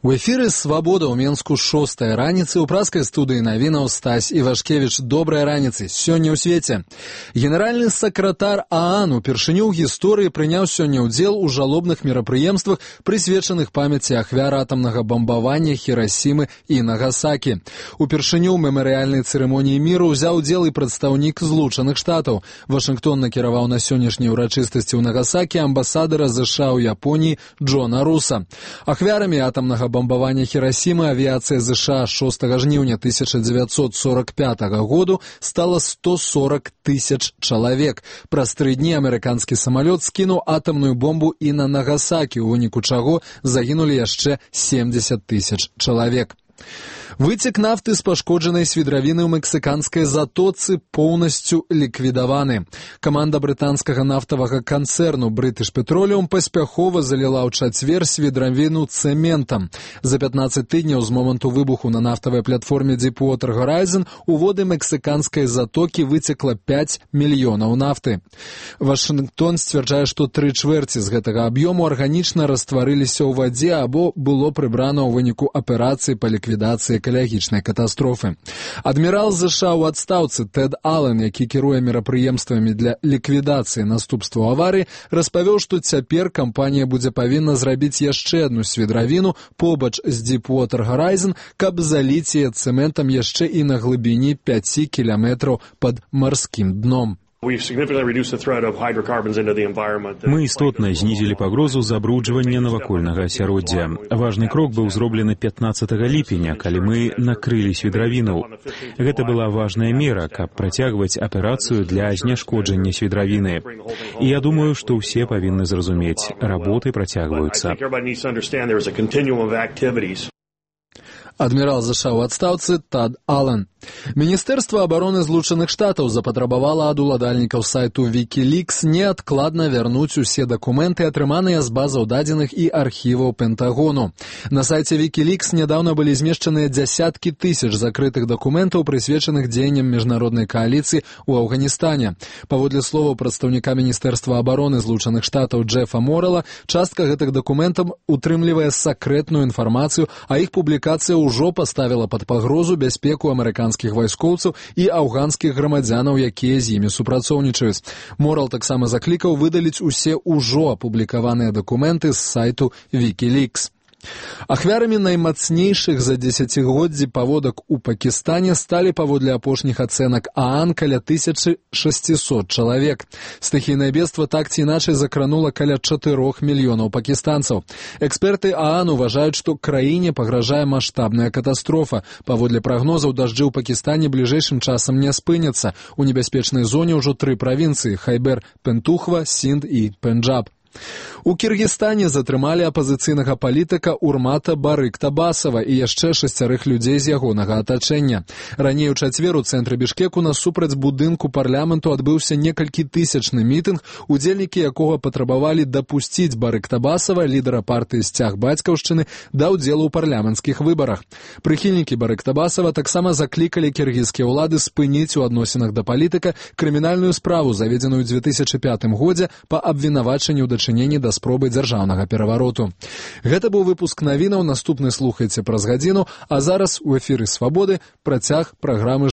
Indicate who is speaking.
Speaker 1: У эфіры «Свабода» ў Менску 6-я раніцы, у праскай студыі навінаў Стась Івашкевіч. Добрай раніцы. Сёння ў свеце. Генеральны сакратар ААН упершыню ў гісторыі прыняў сёння ўдзел у жалобных мерапрыемствах, прысвечаных памяці ахвяр атамнага бамбавання Хірасімы і Нагасакі. Упершыню ў мемарыяльнай цырымоніі міру ўзяў удзел і прадстаўнік Злучаных Штатаў. Вашынгтон накіраваў на сённяшняй урачыстасці ў Нагасакі амбасадара США ў Японіі Джона Руса. Ахвярамі атамнага бомбавання Хірасімы авіацыя США 6 жніўня 1945 году стала 140 тысяч чалавек. Праз 3 дні амерыканскі самалёт скінуў атамную бомбу і на Нагасакі, у выніку чаго загінулі яшчэ 70 тысяч чалавек. Выцек нафты з пашкоджанай свідравіны ў мексіканскай затоцы поўнасцю ліквідаваны. Каманда брытанскага нафтавага канцэрну British Petroleum паспяхова заліла ў чацвер свідравіну цэментам. За 15 тыдняў з моманту выбуху на нафтавай платформе Deepwater Horizon у воды мексіканскай затокі выцекла 5 мільёнаў нафты. Вашынгтон сцвярджае, што 3/4 з гэтага аб'ёму арганічна растварыліся ў вадзе або было прыбрана ў выніку аперацыі па ліквідацыі экалагічнай катастрофы. Адмірал США ў адстаўцы Тэд Аллен, які кіруе мерапрыемствамі для ліквідацыі наступстваў аварыі, распавёў, што цяпер кампанія будзе павінна зрабіць яшчэ адну свідравіну побач з Deepwater Horizon, каб заліць яе цэментам яшчэ і на глыбіні 5 кіламетраў пад марскім дном.
Speaker 2: Мы істотна знізілі пагрозу забруджвання навакольнага асяроддзя. Важны крок быў зроблены 15 ліпеня, калі мы накрылі свідравіну. Гэта была важная мера, каб працягваць аперацыю для зняшкоджання свідравіны. І я думаю, што ўсе павінны зразумець, работы працягваюцца.
Speaker 1: Адмірал США ў адстаўцы Тэд Аллен. Міністэрства абароны Злучаных Штатаў запатрабавала ад уладальнікаў сайту Wikileaks неадкладна вярнуць усе дакументы, атрыманыя з базаў дадзеных і архіваў Пентагону. На сайце Wikileaks нядаўна былі змешчаныя дзясяткі тысяч закрытых дакументаў, прысвечаных дзеянням міжнароднай кааліцыі ў Афганістане. Паводле словаў прадстаўніка Міністэрства абароны Злучаных Штатаў Джефа Моррела, частка гэтых дакументаў утрымлівае сакрэтную інфармацыю, а іх публікацыя ўжо паставіла пад пагрозу бяспеку амерыканскіх вайскоўцаў і афганскіх грамадзянаў, якія з імі супрацоўнічаюць. Моррел таксама заклікаў выдаліць усе ўжо апублікаваныя дакументы з сайту Wikileaks. Ахвярамі наймацнейшых за дзесяцігоддзі паводак у Пакістане сталі паводле апошніх ацэнак ААН каля 1600 чалавек. Стыхійнае бедства так ці іначай закранула каля 4 мільёнаў пакістанцаў. Эксперты ААН уважаюць, што краіне пагражае маштабная катастрофа. Паводле прагнозаў, дажджы ў Пакістане бліжэйшым часам не спыняцца. У небяспечнай зоне ўжо 3 правінцыі – Хайбер, Пентухва, Синд і Пенджаб. У Кіргізстане затрымалі апазіцыйнага палітыка Урмата Барыктабасова і яшчэ 6 людзей з ягонага атачэння. Раней у чацвер у цэнтры Бішкеку насупраць будынку парламенту адбыўся некалькі тысячны мітынг, удзельнікі якога патрабавалі дапусціць Барыктабасова, лідара партыі «Сцяг бацькаўшчыны», да ўдзелу ў парламенцкіх выбарах. Прыхільнікі Барыктабасова таксама заклікалі кіргізскія ўлады спыніць у адносінах да палітыка крымінальную справу, заведзеную ў 2005 годзе па абвінавачанні ў дачыненні да спробы дзяржаўнага перавароту. Гэта быў выпуск навінаў, наступны слухайце праз гадзіну, а зараз у эфіры «Свабоды» працяг праграмы